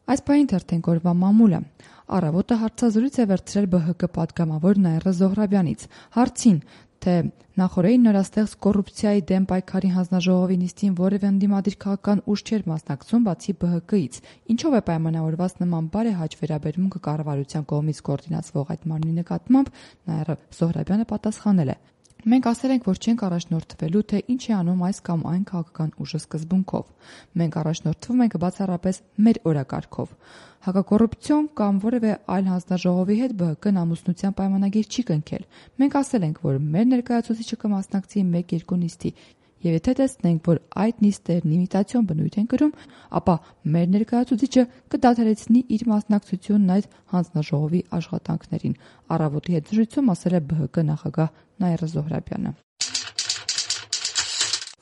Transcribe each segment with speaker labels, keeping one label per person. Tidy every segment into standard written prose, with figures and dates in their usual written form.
Speaker 1: Այս պահին թերթենք օրվա մամուլը։ Առավոտը հարցազրույց է վերցրել ԲՀԿ պատգամավոր Նաիրա Զոհրաբյանից հարցին, թե նախօրեին նորաստեղծ կոռուպցիայի դեմ պայքարի հանձնաժողովի նիստին որևէ ընդդիմադիր քաղաքական ուժ չէր մասնակցում բացի ԲՀԿ-ից։ Ինչով է պայմանավորված նման բարեհաճ վերաբերմունքը կառավարության կողմից կոորդինացվող այդ մարմնի նկատմամբ, Նաիրա Զոհրաբյանը պատասխանել է. Մենք ասել ենք, որ չենք առաջնորդվելու, թե ինչ է անում այս կամ այն քաղաքական ուժը սկզբունքով։ Մենք առաջնորդվում ենք բացառապես մեր օրակարգով։ Հակակոռուպցիոն կամ որևէ այլ հանձնաժողովի հետ ԲՀԿ-ն ամուսնության պայմանագիր չի կնքել։ Մենք ասել ենք, որ մեր ներկայացուցիչը կմասնակցի 1-2 նիստի, եւ եթե տեսնենք, որ այդ նիստերն իմիտացիոն բնույթ են կրում, ապա մեր ներկայացուցիչը կդադարեցնի իր մասնակցությունն այդ հանձնաժողովի աշխատանքներին, առավոտի հետ զրույցում ասել է ԲՀԿ նախագահ Նաիրա Զոհրաբյանը։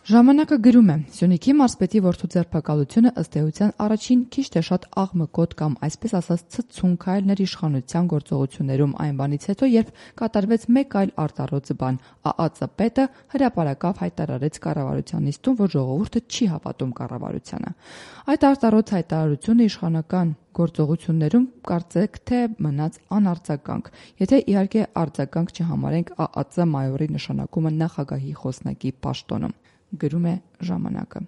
Speaker 1: Ժամանակը գրում է. Սյունիքի մարզպետի որդու ձերբակալությունը ըստ էության առաջին քիչ թե շատ աղմկոտ կամ այսպես ասած ցցուն քայլներ իշխանության գործողություններում այն բանից հետո, երբ կատարվեց մեկ այլ արտառոց բան, ԱԱԾ պետը հրապարակավ հայտարարեց կառավարության նիստում, որ ժողովուրդը չի հավատում կառավարությանը։ Այդ արտառոց հայտարարությունը իշխանական գործողություններում կարծեք թե մնաց անարձագանք, եթե իհարկե արձագանք չհամարենք ԱԱԾ մայորի նշանակումը նախագահի խոսնակի պաշտոնում, գրում է ժամանակը։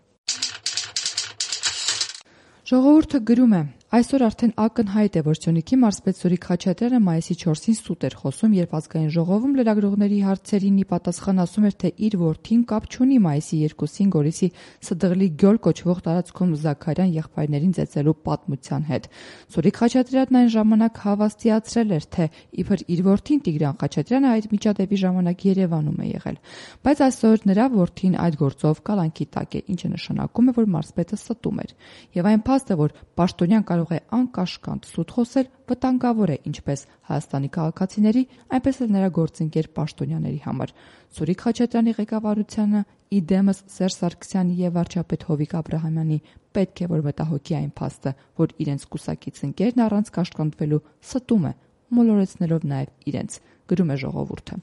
Speaker 1: Ժողովուրդը գրում է. Այսօր արդեն ակնհայտ է, որ Սյունիքի մարզպետ Սուրիկ Խաչատրյանը մայիսի 4-ին սուտ էր խոսում, երբ ազգային ժողովում լրագրողների հարցերին ի պատասխան ասում էր, թե իր որդին կապ չունի մայիսի 2-ին Գորիսի Սդղլի գյոլ կոչվող տարածքում Զաքարյան եղբայրներին ծեծելու պատմության հետ։ Սուրիկ Խաչատրյանն այն ժամանակ հավաստիացրել էր, թե իբր իր որդին Տիգրան Խաչատրյանը այդ միջադեպի ժամանակ Երևանում է եղել, բայց այսօր նրա որդին այդ գործով կալանքի տակ է, ինչը նշանակում է, որ մարզպետը ստում էր։ Եվ այն փաստ է, որ պաշտոնյան կարող է անկաշկանդ սուտ խոսել, վտանգավոր է ինչպես Հայաստանի քաղաքացիների, այնպես էլ նրա գործընկեր պաշտոնյաների համար։ Սուրիկ Խաչատրյանի ղեկավարությանը իդեմս Սերժ Սարգսյանի եւ վարչապետ Հովիկ Աբրահամյանի պետք է որ մտահոգի այն փաստը, որ իրենց կուսակից ընկերն առանց կաշկանդվելու ստում է, մոլորեցնելով նաեւ իրենց, գրում է ժողովուրդը։